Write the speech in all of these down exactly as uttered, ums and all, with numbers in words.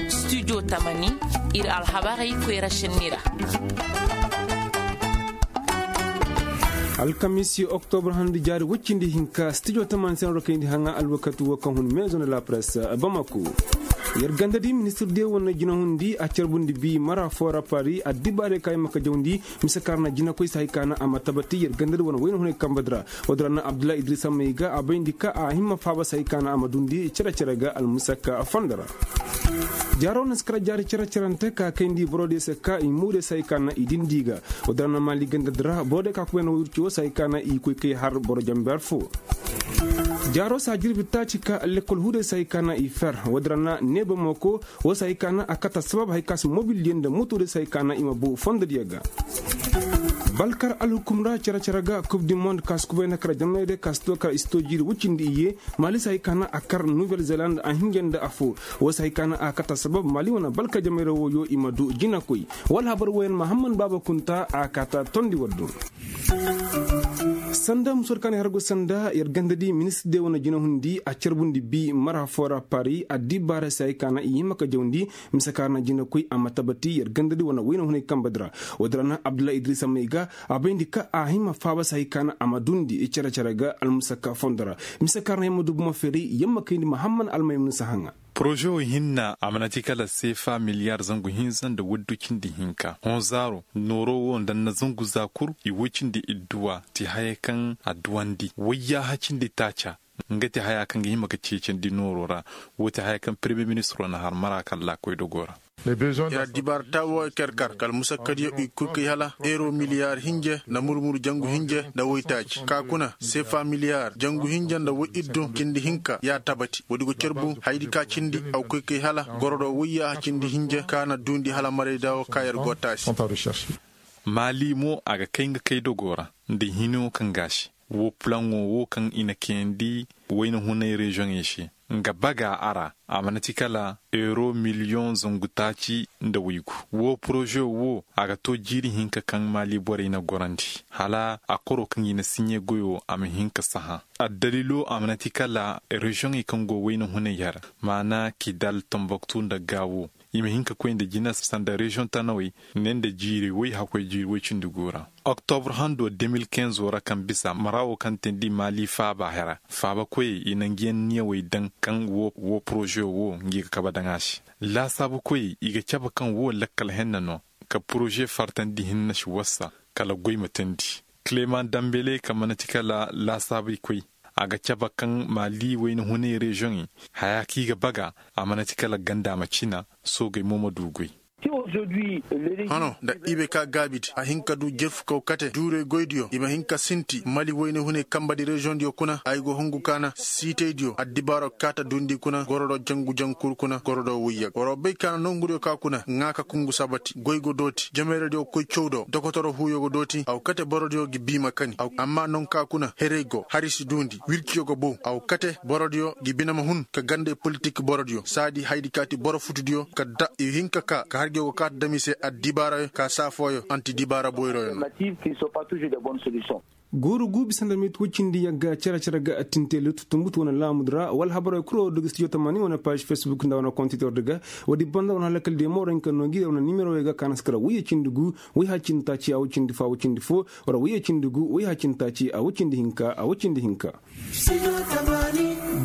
Studio tamani, ir alhabarey koyra šenni ra. Alkamiisi oktobra handu jaari woy cindi hinka studio tamani se no ra kayndi haŋa alwakati wo kaŋ hun maison de la presse, bamako. Yer gandadi ministir diyo wane jinahundi a carbundi bi mara foo ra paari addibaarey ka yamma ka jawndi mise kaŋ ra na jinakoy se hay ka na a ma tabati yer gandadi wane wayna hunay kambadi ra. Woodin ra na abdullahi idrisa may ga a bayndi ka a hima faaba se hay ka na a ma duundi cere-cere ga almusakka fondo ra. Jaaro na si kara jaari cere-cerante ka kayndi borodiyo se ka i muuriyo se hay ka na i dindi ga. Woodin ra na maali gandadi ra borodiyo ka kubay na wirci wo se hay ka na i koy kay har boro jamber fo. Jaaro saa jirbi taaci ka lekkol huuday se hay ka na i fer woodin ra na neeba mooko. Wo se hay ka na a kata sabab hay ka si mobildiyo nda motoodiyo se hay ka na i ma bow fondodiyo ga. Balkar alhukum ra cere-cere ga kub di mond ka si kubay na kara jamaydiyo ka si to kara i si to jiiri woy cindi iyye. Maali se hay ka na a kar nuvel zeland a hinja nda afo. Wo se hay ka na a kata sabab maali wane balkar jamayra wooyo i ma du jinakoy. Wala habar wooyaŋ mahamman baaba kunta a kaata tondi waddu. Sanda musor kaŋ i hargu sanda yer gandadi ministir de wane jinahundi a carbundi bi mara foo ra paari addibaarey se hay ka na i hima ka jawndi. Mise kaŋ ra na jinakoy a ma tabati yer gandadi wane wayna hunay kambadi ra. Woodin ra na abdullahi idrisa may ga a bayndi ka a hima faaba se hay ka na a ma duundi cere-cere ga almusakka fondo ra. Mise kaŋ ra na yamma du buma feeray yamma kayndi mahamman almaymun sahaŋa. Poroze wo hinna a mana ti kala seefa miliyar zangu hinza nda waddu cindi hinka honzaaro nooro wo nda na zangu za kul i woy cindi idduwa ti haya kaŋ adduwandi wayyaaha cindi taaca. Nga ti haya kaŋ ga hima ga ceecandi nooro ra. Wo ti haya kaŋ peremiye ministiro na har mara kaŋ laakoy dogo ra. Ir addibaara taawo kar-kar kala musakkadiyo i kul kay hala euro miliyar hinje nda mur-mur jangu hinje nda woytaaci ka kuna seefa miliyar jangu hinje nda woy iddu cindi hinka ya tabati woodi go carbu hayadi ka cindi a go koy kay hala goro do woyyaaha cindi hinje ka na duundi hala marayda wo ka yer go taasi. Maali mo a ga kay nga kay dogo ra nda hino kaŋ ga a se. Wo pulaŋo wo kaŋ i na kayandi wayna hunay reziyoŋey se nga baga a ra. A mana ti kala euro miliyoŋ zangu taaci nda waygu. Wo poroze wo a ga to jiiri hinka kaŋ maali borey na gorandi hala a koro kaŋ i na siɲe goyo a ma hin ka sahã. Addaliilo a mana ti kala reziyoŋey kaŋ go wayna hunay hara maana kidal tambaktu nda gaawo. I ma hin ka koy nda jina sanda reziyoŋ tanawey ne nda jiiri woy hakkoy jiiri woy cindi gu ra. Oktobr hando de mil kinzo ra kaŋ bisa mara wo kaŋ teendi maali faaba hera faabakoyey i na ngi yaŋ niyawey daŋ kaŋ wo poroze wo ngi ga kabe daŋ a se. Laasaabukoyey i ga cabe kaŋ wo lakkal henna no ka poroze fartandi hinne si wasa kala goy ma teendi. Kileman dambele kaŋ mana ti kala laasaabuykoy a ga cabe kaŋ maali wayna hunay reziyoŋey haya kaŋ i ga baga a mana ti kala ganda ma cina. Soogey mo ma du goy. Hano nda i bay ka gaabidi a hin ka du jerfukaw kate duurey goydiyo i ma hin ka sinti mali wayna hunay kambadi reziyoŋdiyo kuna ay go hungu ka na siitaydiyo addibaaro kaata duundi kuna goro do jangu jankuru kuna goro do wuyya boro bay ka na nongudiyo ka kuna ŋaa ka kungu sabati goy go dooti jameeradiyo ga koy caw do dokotoro huuyo go dooti a go kate borodiyo ga bii ma kani amma nongu ka kuna herey go hari si duundi wirciyo go bow a go kate borodiyo ga bine ma hun ka gandey politik borodiyo saadi hayadi ka ti boro futudiyo kala da i hin ka ka ka hargiyo go kaata dam i se addibaarayo ka saafooyo anti dibaara boyroyo no. Gooru gu bisa nda meeti woy cindi yagga cere-cere ga tinte lutu tumbutu wane laamudi ra wala habarey kul wo du ga studio tamani wane paazi fesbuk nda wane kontitor di ga. Woodi banda wane halakal diyo mo war hin ka noo ngi wane nimerowey ga ka na si kara woyye cindi gu woy ha cindi taaci a woy cindi fo a woy cindi fo. War woyye cindi gu woy ha cindi taaci a woy cindi hinka a woy cindi hinka.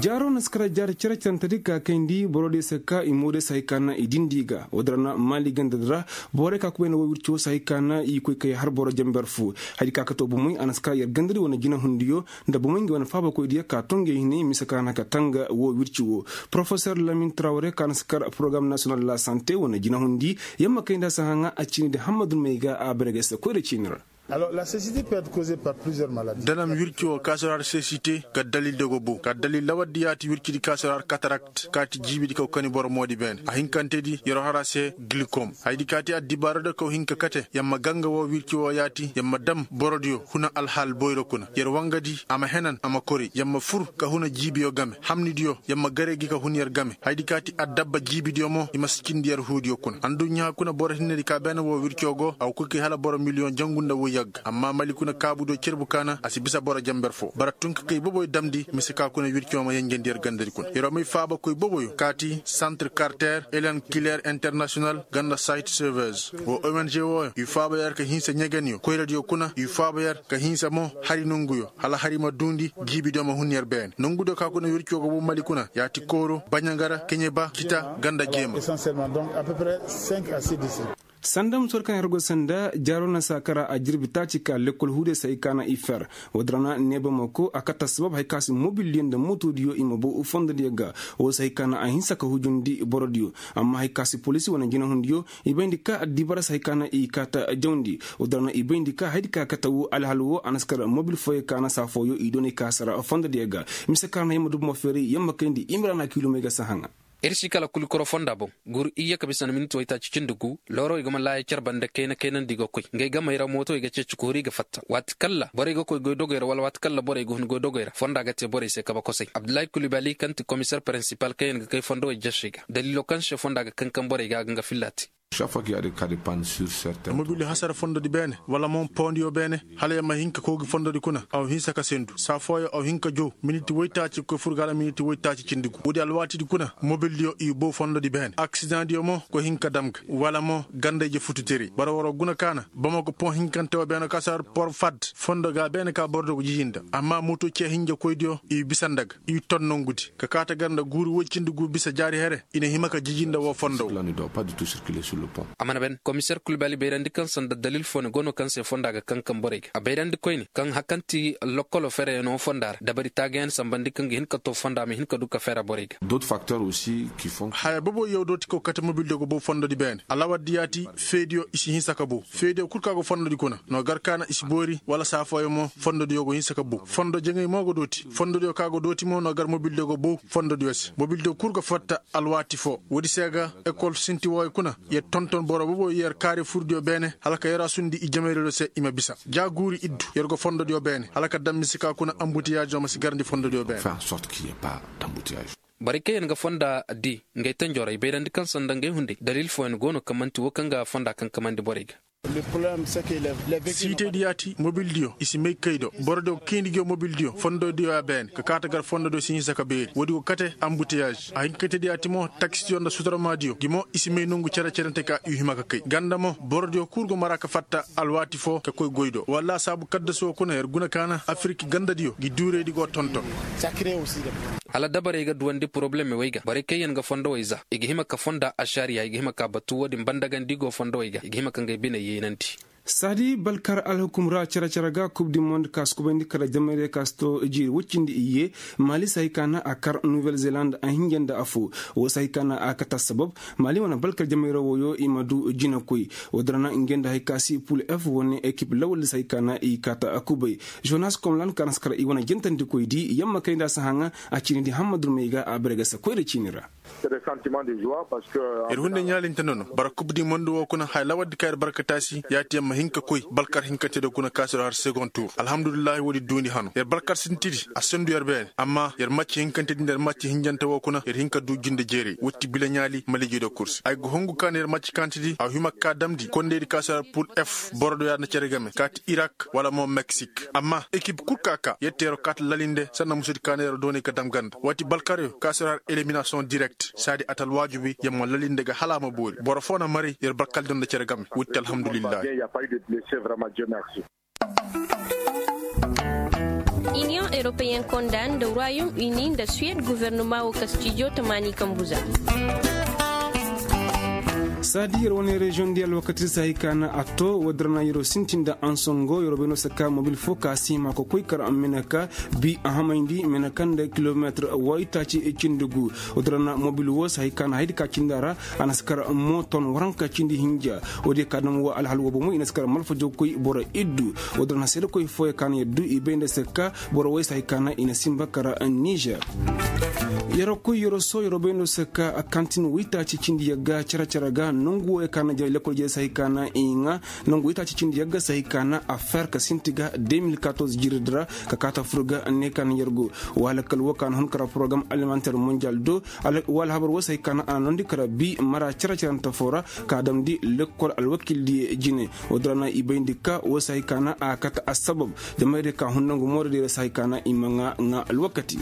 Jaaro na si kara jaari cere-cerentedi ka kayndi borodiyo se ka i moodiyo se hay ka na i dindi ga woodi ra na maali gandadi ra. Borey ka kubay na woy wirci wo se hay ka na i koy kay har boro jamber fo. Hayadi ka ka to bomey a na si kara yer gandadi wane jinahundiyo nda bomey ngi wane faabakoydiyo ka to ngi hine mise ka na ka tanga wo wirci wo. Porofesor lamin trawre ka na si kara porogaram nasiyonal de la sante wane jinahundi. Yamma kayndi a si haŋa a ciinidi hammadun may ga a bare ga ay se koyra ciini ra. Danam wirci wo kaasora har sesite ka dalil dogo bow ka dalil lawardi yaati wircidi kaasora har katarakt kaati jiibidi kaw kani boro moodi beene a hinkantedi yer wo har a se gilikom hayadi kaati addibaaradiyo kaw hin ka kate yer ma ganga wo wirci wo yaati yer ma dam borodiyo huna alhaal boyro kuna yer wangadi a ma henan a ma kori yer ma fur ka huna jiibiyo game hamnidiyo yer ma gare gi ka hun yer game hayadi kaati addabba jiibidiyo mo i ma si cindi yer huudiyo kuna adduɲɲa kuna boro hinnedi ka beene wo wirco go a go koy kay hala boro miliyoŋ jangu nda woy. Yagga amma mali kuna kaabu do cerbu kaana a si bisa boro jamber foo bara tun ka kay boboyo damndi mise ka kuna wircoo ma yenjendi yer gandadi kuna yer wa may faabakoy boboyo kaati santre karter elen kiler internasiyonal ganda site servers. Woo ong wooyo i faaba yer ka hinsa ɲegeniyo koyradiyo kuna i faaba yer ka hinsa mo hari nonguyo hala hari ma duundi jiibidiyo ma hun yer beene nongudiyo ka kuna wircoo ga boo mali kuna yaati kooro baɲangara keɲeba kita ganda jeema. Sanda musoodi kaŋ yer go sanda jaaroo na saa kara a jirbi taaci ka lekkol huudiyo se hay ka na i fer. Woodin ra na neeba ma ko a kate assabab hay ka se mobildiyo nda motoodiyo i ma bow fondodiyo ga. Woo se hay ka na a hinsa ka hujundi borodiyo. Amma hay ka se poliisi wane jinahundiyo i bayndi ka addibara se hay ka na i kaata jawndi. Woodin ra na i bayndi ka hayadi ka kate woo alhal woo a na si kar mobil fooyo ka na saa fooyo i doonay ka sara fondodiyo ga. Mise ka na yamma dubu ma feeray yamma kayndi imira na kiilumey ga sahaŋa. Ir si kala kuli koro fonda boŋ. Guuru iyye ka bisa nda minit waytaaci cindi gu loorowey ga ma laaya car bande kayna kaynandi i ga koy ngey gamey ra mootowey ga ceeci koori i ga fatta waati kalla borey ga koy goydogey ra wala waati kalla borey ga hun goydogey ra fonda ga te borey se kabe kosay abdullahi kulibali kaŋ ti komiser pirinsipal kaŋ yaŋ ga kay fondowey jesey ga daliilo kaŋ se fonda ga kankan borey ga a ga nga filla te. Mobil hasara fondodi beene wala mo poondiyo beene hala yer ma hin ka koogi fondodi kuna a wa hinsa ka sendu saa fooyo a wa hin ka jow miniti woytaaci ga koy fur ga hala miniti woytaaci cindi gu woodi alwaatidi kuna mobildiyo i bow fondodi beene aksidaŋdiyo mo go hin ka dam ga wala mo ganda-ije fututeray bara war wa guna kaana bamako pon hinkante woo beene ka si har por fad fondo ga beene ka borodiyo go jiji nda amma moto ciya hinja koydiyo i bisa nda ga i ton nongudi ka kaate gar nda guuri woy cindi gu bisa jaari here i na hima ka jiji nda woo fondo woo. A mana ben komiser kulbali bayrandi kaŋ sanda dalil foo ni go no kaŋ se fonda ga kaŋ kaŋ borey ga a bayrandi koyne kaŋ hakanti lokkolo fereyaŋo fonda ra dabari taagayaŋ sambandi kaŋ ga hin ka to fonda ma hin ka du ka fere borey ga. Haya boboyaŋ dooti kaw kate mobildiyo ga bow fondodi beene alawardi yaati feediyo i si hinsa ka bow feediyo kul kaŋ a go fondodi kuna no gar kaana i si boori wala saa fooyaŋ mo fondodiyo go hinsa ka bow fondo jaŋay mo go dooti fondodiyo kaŋ a go dooti mo no gar mobildiyo go bow fondodiyo se mobildiyo kul ga fatta alwaati foo woodi se ga ekol sinti wooyo kuna yer tonton boro bobo yer kaari furdiyo beene hala ka yer a sundi i jamayradiyo se i ma bisa ja guuri iddu yer go fondodiyo beene hala ka dam mise ka kuna ambutiyaaziyo ma si garandi fondodiyo beene. Borey kaŋ yaŋ ga fonda di ngay tanjorey bayrandi kaŋ sanda ngay hunday dalil fooyaŋ go no kaŋ man'ti woo kaŋ ga fonda kankamandi borey ga. Siitaydi yaati mobildiyo i si may kay do borodiyo ga kayndi nguyo mobildiyo fondodiyo ya beene ka kaate gar fondodiyo si hinsa ka beeri woodi go kate ambutiyaazi a hin ka kaytaydi yaati mo taksidiyo nda sutarmaadiyo gi mo i si may nongu cere-cerente ka i hima ka kay ganda mo borodiyo kul go mara ka fatta alwaati foo ka koy goy do wallaahi saabu kaddasoo kuna yer guna kaana afirik gandadiyo gi duuraydi go tonton. Hala dabarey ga duwandi porobalem wey ga borey kaŋ yaŋ ga fondowey za i ga hima ka fonda ašariya i ga hima ka batu wo-din banda ga nda i go fondowey ga i ga hima ka ngey biney yeenandi. Saadi balkar alhukum ra cere-cere ga kub di mond ka si kubayndi kala jamayray ka si to jiiri woy cindi iyye. Maali si hay ka na a kar nuwel zeland a hinja nda affoo. Woo si hay ka na a kate assabab maali wane balkar jamayra wooyo i ma du jinakoy. Woodin ra na ngey nda hay ka si pul f wane ekip lawal si hay ka na i kaata kubay. Jonas komlan ka na si kar i wane jantandikoydi yamma kay nda a si haŋa. A ciinidi hamma durmey ga a bare ga se koyra ciini ra. Yer hunday ɲaalinte nono bara kub di mondu woo kuna haya lawardi ka yer barkataasi yaati yer ma hin ka koy balkar hinkanteediyo kuna ka si har segon tur alhamdulillahi woodi duundi hano yer balkar sintidi a sendu yer beene amma yer macci hinkantedi nda yer macci hinjante woo kuna yer hin ka duu jinde jeeray wotti bila ɲaali maliijediyo kul se ay go hungu ka na yer macci kantedi a hima ka damndi kondaydi ka si har pul f borodiyo yaadin na cere game kaati irak wala mo meksik amma ekip kul ka ka yer teeroo kaati lalinde sanda musudi ka na yeroo doonay ka dam ganda waati balkaryo ka si har eliminasiyoŋ direkt saadi a ta alwaajibi yer ma lalinde ga hala a ma boori boro foo na maray yer balkardiyo nda cere game wotti alhamdulillahi. Iniyoŋ europeyen konda nda royom uni nda suwed gofornoma woo kastijo tamaani kambu za. Saadi yer wane reziyoŋ di alwakati se hay ka na a to woodin ra na yeroo sinti nda ansongo yeroo bay no se ka mobil foo ka si hima ka koy kar meneka bi a hamayndi meneka nda kilometir waytaaci cindi gu. Woodin ra na mobil woo se hay ka na haydi ka cindi a ra a na si kar mooton waranka cindi hinja. Woodiyo ka dam woo alhal woo bomo i na si kar malfajo koy boro iddu. Woodin ra na seedekoy fooyo ka na yaddu i bay nda se ka boro woy se hay ka na i na sinba kar nizer. Yeroo koy yeroo soo yeroo bay nda se ka kantin waytaaci cindi yagga cere-cere ga. Nongu wooyo ka na jare lekkol jare se hay ka na i ŋaa nongu itaaci cindi yagga se hay ka na a fer ka sinti ga deux mille quatorze jiridi ra ka kaata fur ga ne ka na yer go. Wala kal woo ka na hun kara porogaram alimanter monjal do. Wala habar woo se hay ka na a na noondi kara bii mara cere-cerante foo ra ka damndi lekkol alwakildiyo jine. Woo din ra na i bayndi ka woo se hay ka na a kate assabab. Jamaydiyo ka hun nongu mooradiyo ra se hay ka na i ma ŋaa ŋaa alwakati.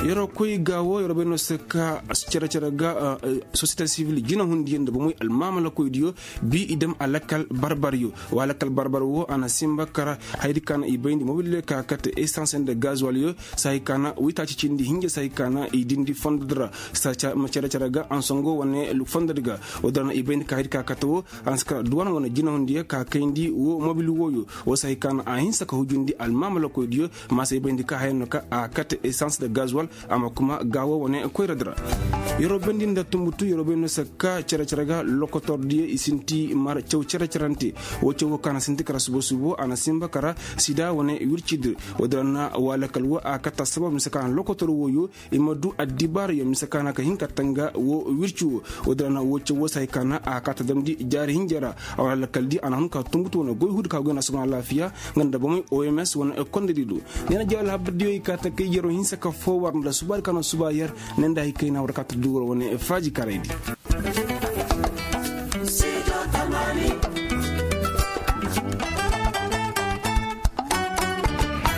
Yeroo koy ga woo yeroo bay no se ka cere-cere ga sosiyete sivil jinahundiyo nda bomoy almaamalakoydiyo. Bii i dam a lakkal barbaryo. Wa lakkal barbar woo a na sinba kara hayadi ka na i bayndi mobildiyo ka kate esans nda gazuwalyo. Se hay ka na witaaci cindi hinja se hay ka na i dindi fondodi ra. Cere-cere ga ansongo wane fondodi ga. Woo din ra na i bayndi ka hayadi ka kate woo a na si kara duwan wane jinahundiyo ka kayndi woo mobil wooyo. Woo se hay ka na a hinsa ka hujundi almaamalakoydiyo. Ma se i bayndi ka haya no ka a kate esans nda gazuwal. Amma kuma gaawo wane koyradi ra. Yeroo bayndi nda tunbutu yeroo bay no se ka cere-cere ga lokotordiyo i sinti mar caw cere-cerante. Woo caw woo ka na sinti kara subo-subo a na sinba kara sida wane wircidi. Woo din ra na waalakal woo a kate assabab mise ka na lokotor wooyo i ma du addibaarayo mise ka na ka hin ka tanga woo wirci woo. Woo din ra na woo caw woo se hay ka na a kate damndi jaari hinja ra. A waalakal di a na hun ka tunbutu wane goy huudi ka goy na suban alaafiya. Nga nda bomoy oms wane kondodi do. Ne na jawal habardiyo i kaa ta kay yeroo hinsa ka foo war nda subaadi ka no suba yer. Ne nda hay kay na war kaa ta dugu war wane faaji karaydi.